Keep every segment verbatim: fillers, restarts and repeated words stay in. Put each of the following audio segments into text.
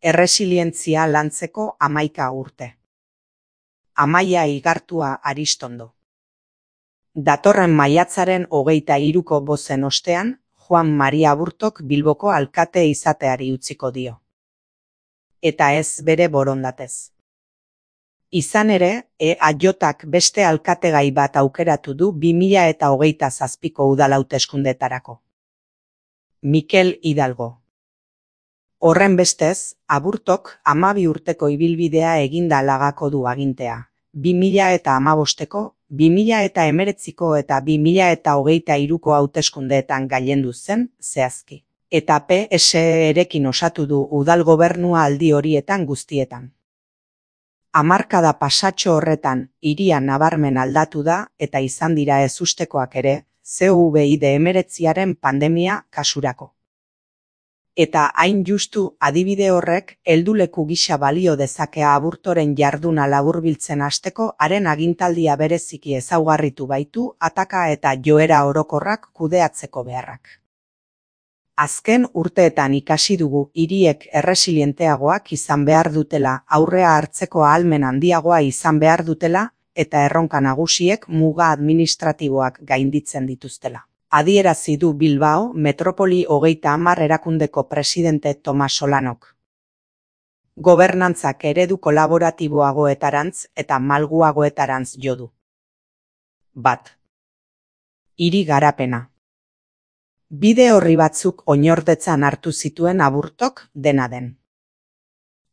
Erresilientzia lantzeko hamaika urte. Amaia Igartua Aristondo. Datorren maiatzaren hogeita hiruko bozen ostean, Juan Maria Aburtok Bilboko alkate izateari utziko dio. Eta ez bere borondatez. Izan ere, E A J-ak beste alkategai bat aukeratu du bi mila eta hogeita zazpiko udal hauteskundeetarako. Mikel Hidalgo. Horren bestez, Aburtok hamabi urteko ibilbidea eginda lagako du agintea. bi mila eta hamabosteko, bi mila eta hemeretziko eta bi mila eta hogeita hiruko hauteskundeetan gailendu zen, zehazki. Eta P S E-rekin osatu du udal gobernua aldi horietan guztietan. Hamarkada pasatxo horretan, hiria nabarmen aldatu da eta izan dira ezustekoak ere, COVID hemeretziaren pandemia kasurako. Eta hain justu adibide horrek helduleku gisa balio dezakea Aburtoren jarduna laburbiltzen hasteko haren agintaldia bereziki ezaugarritu baitu ataka eta joera orokorrak kudeatzeko beharrak. Azken urteetan ikasi dugu hiriek erresilienteagoak izan behar dutela, aurrea hartzeko ahalmen handiagoa izan behar dutela eta erronka nagusiek muga administratiboak gainditzen dituztela. Adierazi du Bilbao Metropoli hogeita hamar erakundeko presidente Tomas Solanok. Gobernantzak eredu kolaboratiboagoetarantz eta malguagoetarantz jo du. Bat. Hiri garapena. Bide horri batzuk oinordetzan hartu zituen Aburtok dena den.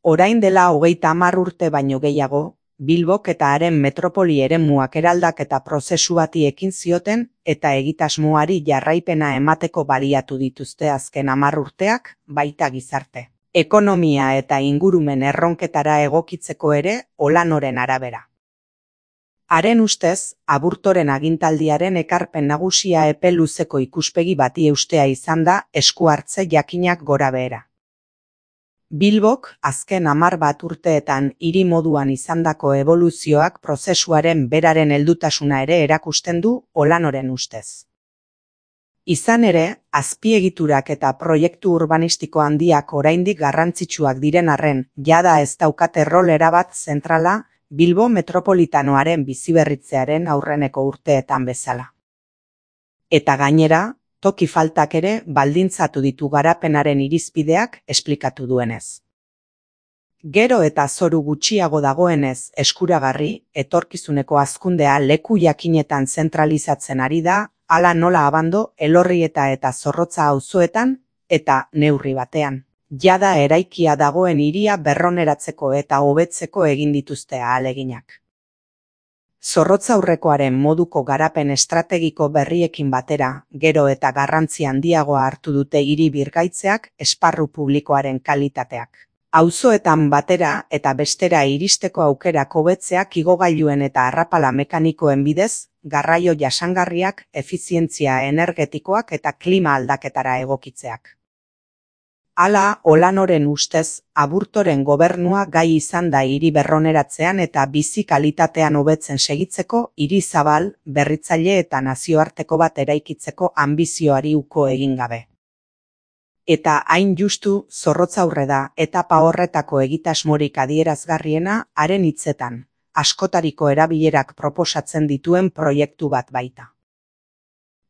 Orain dela hogeita hamar urte baino gehiago, Bilbok eta haren metropoli eremuak eraldaketa prozesu bati ekin zioten eta egitasmoari jarraipena emateko baliatu dituzte azken hamar urteak, baita gizarte, ekonomia eta ingurumen erronketara egokitzeko ere Olanoren arabera. Haren ustez, Aburtoren agintaldiaren ekarpen nagusia epe luzeko ikuspegi bati eustea izan da esku hartze jakinak gorabehera. Bilbok azken hamar bat urteetan hiri moduan izandako eboluzioak prozesuaren beraren heldutasuna ere erakusten du Olanoren ustez. Izan ere, azpiegiturak eta proiektu urbanistiko handiak oraindik garrantzitsuak diren arren, jada ez daukate rol erabat zentrala Bilbo metropolitanoaren biziberritzearen aurreneko urteetan bezala. Eta gainera, toki faltak ere baldintzatu ditu garapenaren irizpideak esplikatu duenez. Gero eta zoru gutxiago dagoenez eskuragarri, etorkizuneko hazkundea leku jakinetan zentralizatzen ari da, hala nola Abando, Elorrieta eta Zorrotza auzoetan eta neurri batean. Jada eraikia dagoen hiria berroneratzeko eta hobetzeko egin dituzte ahaleginak. Zorrotza aurrekoaren moduko garapen estrategiko berriekin batera, gero eta garrantzi handiagoa hartu dute hiri birgaitzeak esparru publikoaren kalitateak. Auzoetan batera eta bestera iristeko aukerak hobetzeak igogailuen eta arrapala mekanikoen bidez, garraio jasangarriak, efizientzia energetikoak eta klima aldaketara egokitzeak. Hala, Olanoren ustez, Aburtoren gobernua gai izan da hiri berroneratzean eta bizi kalitatean hobetzen segitzeko hiri zabal, berritzaile eta nazioarteko bat eraikitzeko anbizioari uko egin gabe. Eta hain justu Zorrotza aurre da etapa horretako egitasmorik adierazgarriena haren hitzetan, askotariko erabilerak proposatzen dituen proiektu bat baita.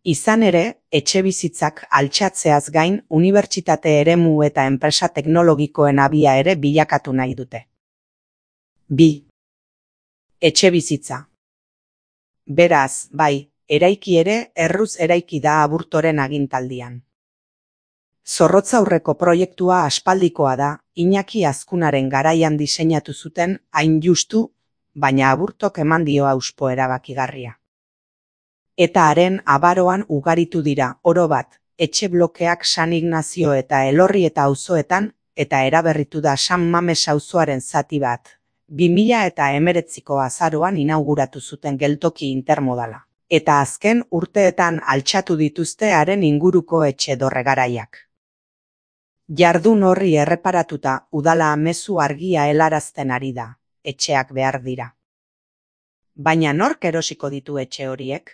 Izan ere, etxebizitzak altxatzeaz gain unibertsitate eremu eta enpresa teknologikoen abia ere bilakatu nahi dute. Bi. Etxebizitza. Beraz, bai, eraiki ere erruz eraiki da Aburtoren agintaldian. Zorrotza aurreko proiektua aspaldikoa da, Iñaki Azkunaren garaian diseinatu zuten hain justu, baina Aburtok eman dio hauspo erabakigarria. Eta haren abaroan ugaritu dira, oro bat, etxe blokeak San Ignazio eta Elorrieta auzoetan eta eraberritu da San Mames auzoaren zati bat. bi mila eta hemeretziko azaroan inauguratu zuten geltoki intermodala. Eta azken urteetan altxatu dituzte haren inguruko etxe dorre garaiak. Jardun horri erreparatuta udala mezu argia helarazten ari da, etxeak behar dira. Baina nork erosiko ditu etxe horiek?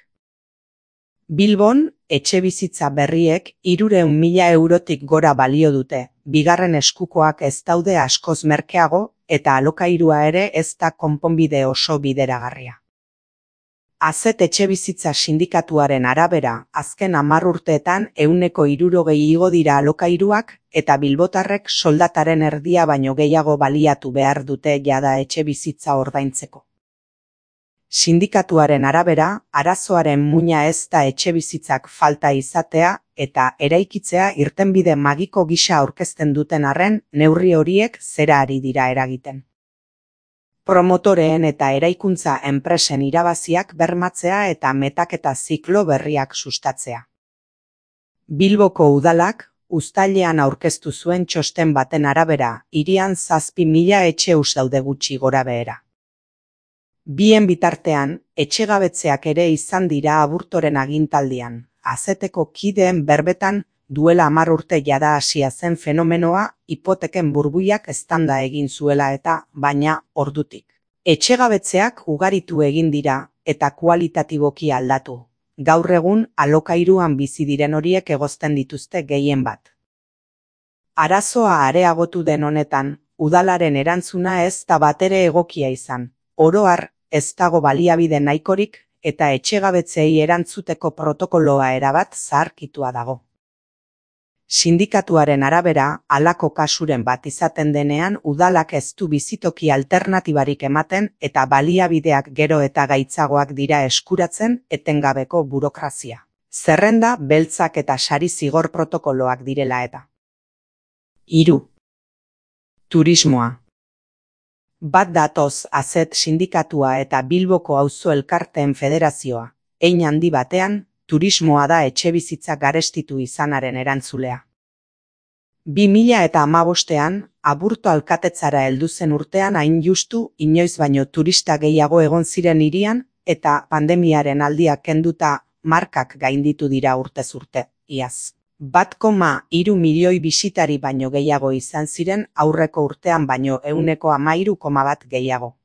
Bilbon, etxebizitza berriek hirurehun mila eurotik gora balio dute, bigarren eskukoak ez daude askoz merkeago eta alokairua ere ez da konponbide oso bideragarria. Azet etxebizitza sindikatuaren arabera, azken hamar urteetan ehuneko hirurogei igo dira alokairuak eta bilbotarrek soldataren erdia baino gehiago baliatu behar dute jada etxebizitza ordaintzeko. Sindikatuaren arabera, arazoaren muina ez da etxebizitzak falta izatea eta eraikitzea irtenbide magiko gisa aurkezten duten arren, neurri horiek zera ari dira eragiten. Promotoreen eta eraikuntza enpresen irabaziak bermatzea eta metaketa ziklo berriak sustatzea. Bilboko udalak, uztailean aurkeztu zuen txosten baten arabera, hirian zazpi mila etxe huts daude gutxi gorabehera. Bien bitartean, etxegabetzeak ere izan dira Aburtoren agintaldian, azeteko kideen berbetan duela hamar urte jada hasia zen fenomenoa hipoteken burbuiak eztanda egin zuela eta, baina, ordutik. Etxegabetzeak ugaritu egin dira eta kualitatiboki aldatu. Gaur egun alokairuan bizi diren horiek egozten dituzte gehien bat. Arazoa areagotu den honetan, udalaren erantzuna ez da batere egokia izan. Oro har, ez dago baliabide nahikorik eta etxegabetzei erantzuteko protokoloa erabat zaharkitua dago. Sindikatuaren arabera, halako kasuren bat izaten denean udalak ez du bizitoki alternatibarik ematen eta baliabideak gero eta gaitzagoak dira eskuratzen etengabeko burokrazia. Zerrenda, beltzak eta sari zigor protokoloak direla eta. Hiru. Turismoa. Bat datoz Azet sindikatua eta Bilboko auzo elkarteen federazioa, hein handi batean, turismoa da etxebizitza garestitu izanaren erantzulea. Bi mila eta hamabostean, Aburto alkatetzara heldu zen urtean hain justu inoiz baino turista gehiago egon ziren hirian eta pandemiaren aldiak kenduta markak gainditu dira urtez urte, iaz. Bat koma hiru milioi bisitari baino gehiago izan ziren aurreko urtean baino ehuneko hamairu koma bat gehiago.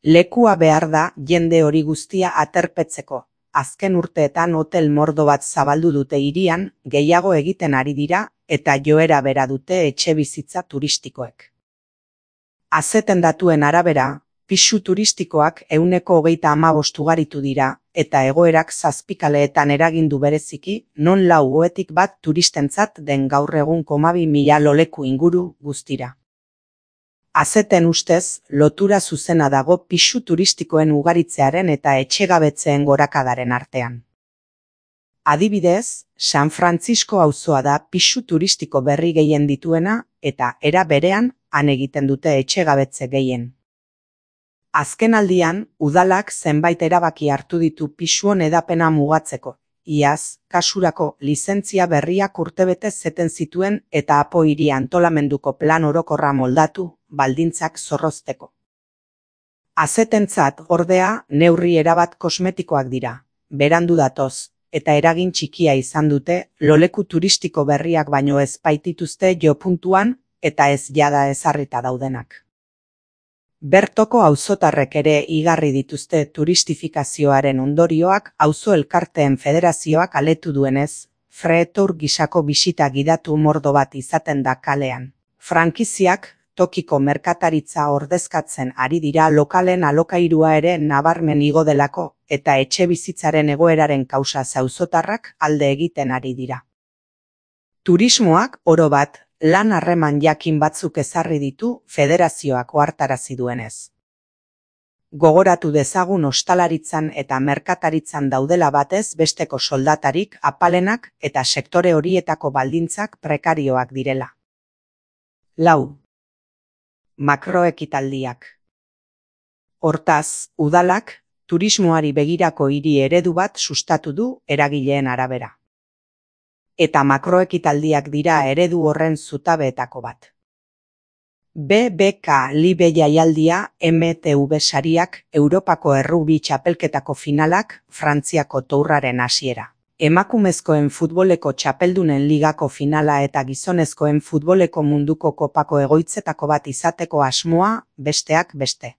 Lekua behar da jende hori guztia aterpetzeko. Azken urteetan hotel mordo bat zabaldu dute hirian, gehiago egiten ari dira eta joera bera dute etxebizitza turistikoek. Azeten datuen arabera, pisu turistikoak ehuneko hogeita hamabost ugaritu dira eta egoerak zazpikaleetan eragindu bereziki, non lau goetik bat turistentzat den gaur egun komabi mila loleku inguru guztira. Azeten ustez, lotura zuzena dago pisu turistikoen ugaritzearen eta etxegabetzeen gorakadaren artean. Adibidez, San Francisco auzoa da pisu turistiko berri gehien dituena eta era berean han egiten dute etxegabetze gehien. Azken aldian, udalak zenbait erabaki hartu ditu pisuon edapena mugatzeko. Iaz, kasurako lizentzia berriak urtebete zeten zituen eta Apo hiri antolamenduko plan orokorra moldatu, baldintzak zorrozteko. Azetentzat, ordea, neurri erabat kosmetikoak dira, berandu datoz, eta eragin txikia izan dute, loleku turistiko berriak baino ez baitituzte jo puntuan eta ez jada ezarrita daudenak. Bertoko auzotarrek ere igarri dituzte turistifikazioaren ondorioak auzo elkarteen federazioak aletu duenez, Freetour gisako bisita gidatu mordo bat izaten da kalean. Frankiziak, tokiko merkataritza ordezkatzen ari dira lokalen alokairua ere nabarmen igo delako eta etxebizitzaren egoeraren kausa auzotarrak alde egiten ari dira. Turismoak, oro bat, lan harreman jakin batzuk ezarri ditu federazioak ohartarazi duenez. Gogoratu dezagun ostalaritzan eta merkataritzan daudela batez besteko soldatarik apalenak eta sektore horietako baldintzak prekarioak direla. Lau. Makroekitaldiak. Hortaz, udalak, turismoari begirako hiri eredu bat sustatu du eragileen arabera. Eta makroekitaldiak dira eredu horren zutabeetako bat. B B K Libe jaialdia, M T V sariak, Europako errugbi txapelketako finalak, Frantziako tourraren hasiera. Emakumezkoen futboleko txapeldunen ligako finala eta gizonezkoen futboleko munduko kopako egoitzetako bat izateko asmoa, besteak beste.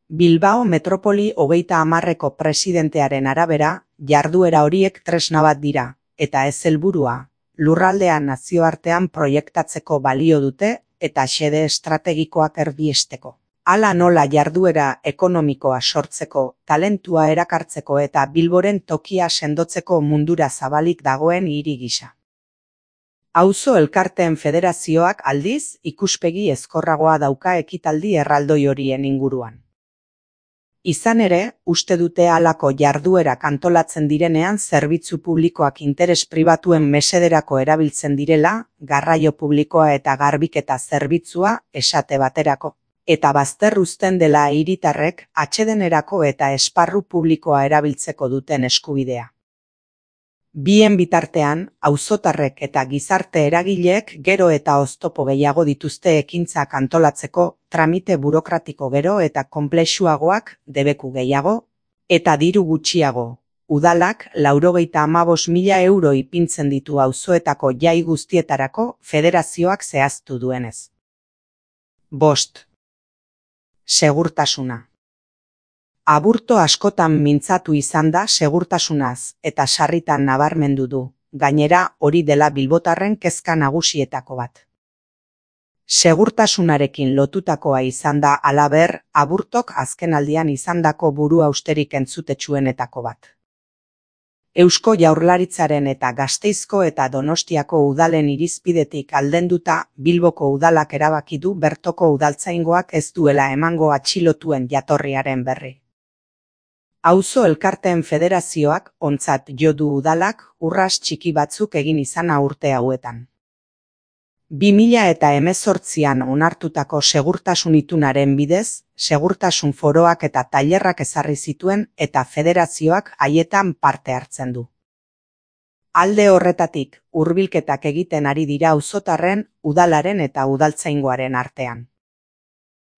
Bilbao metropoli hogeita hamarreko presidentearen arabera, jarduera horiek tresna bat dira, eta ez helburua, lurraldean nazioartean proiektatzeko balio dute eta xede estrategikoak erdiesteko. Hala nola jarduera ekonomikoa sortzeko, talentua erakartzeko eta Bilboren tokia sendotzeko mundura zabalik dagoen hiri gisa. Auzo elkarteen federazioak aldiz ikuspegi ezkorragoa dauka ekitaldi erraldoi horien inguruan. Izan ere, uste dute halako jarduerak antolatzen direnean zerbitzu publikoak interes pribatuen mesederako erabiltzen direla, garraio publikoa eta garbiketa zerbitzua esate baterako. Eta bazter uzten dela hiritarrek atsedenerako eta esparru publikoa erabiltzeko duten eskubidea. Bien bitartean, auzotarrek eta gizarte eragileek gero eta oztopo gehiago dituzte ekintzak antolatzeko, tramite burokratiko gero eta konplexuagoak, debeku gehiago, eta diru gutxiago. Udalak laurogeita hamabost mila euro ipintzen ditu auzoetako jai guztietarako federazioak zehaztu duenez. Bost. Segurtasuna. Aburto askotan mintzatu izan da segurtasunaz eta sarritan nabarmendu du, gainera hori dela bilbotarren kezka nagusietako bat. Segurtasunarekin lotutakoa izan da halaber, Aburtok azkenaldian izandako buru austerik entzutetsuenetako bat. Eusko Jaurlaritzaren eta Gasteizko eta Donostiako udalen irizpidetik aldenduta, Bilboko udalak erabaki du bertoko udaltzaingoak ez duela emango atxilotuen jatorriaren berri. Auzo elkarteen federazioak ontzat jo du udalak urras txiki batzuk egin izana urte hauetan. bi mila hemezortzian onartutako segurtasun itunaren bidez, segurtasun foroak eta tailerrak ezarri zituen eta federazioak haietan parte hartzen du. Alde horretatik, hurbilketak egiten ari dira auzotarren, udalaren eta udaltzaingoaren artean.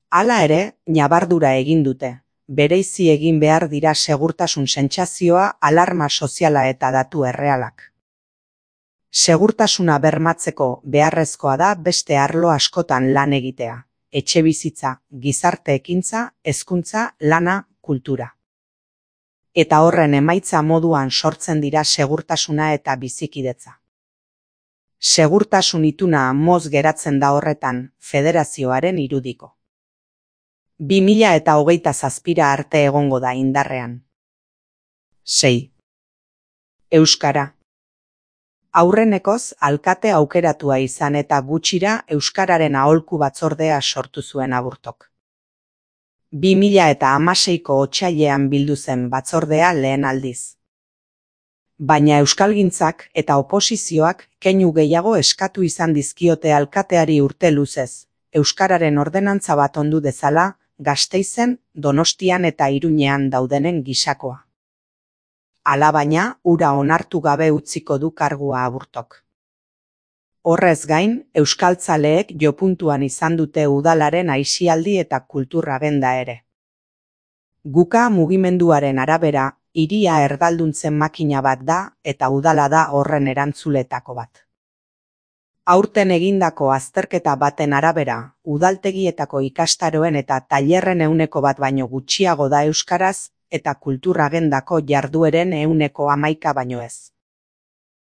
Hala ere, ñabardura egin dute, bereizi egin behar dira segurtasun sentsazioa, alarma soziala eta datu errealak. Segurtasuna bermatzeko beharrezkoa da beste arlo askotan lan egitea, etxebizitza, gizarte ekintza, hezkuntza, lana, kultura. Eta horren emaitza moduan sortzen dira segurtasuna eta bizikidetza. Segurtasun ituna moz geratzen da horretan, federazioaren irudiko. bi mila eta hogeita zazpira arte egongo da indarrean. sei. Euskara. Aurrenekoz, alkate aukeratua izan eta gutxira Euskararen aholku batzordea sortu zuen Aburtok. bi mila eta hamaseiko otsailean bildu zen batzordea lehen aldiz. Baina euskalgintzak eta oposizioak keinu gehiago eskatu izan dizkiote alkateari urte luzez, Euskararen ordenantza bat ondu dezala, Gasteizen, Donostian eta Iruñean daudenen gisakoa. Alabaina, ura onartu gabe utziko du kargua Aburtok. Horrez gain, euskaltzaleek jopuntuan izan dute udalaren aisialdi eta kultura agenda ere. Guka mugimenduaren arabera, hiria erdalduntzen makina bat da eta udala da horren erantzuletako bat. Aurten egindako azterketa baten arabera, udaltegietako ikastaroen eta tailerren ehuneko bat baino gutxiago da euskaraz, eta kultura agendako jardueren ehuneko hamaika baino ez.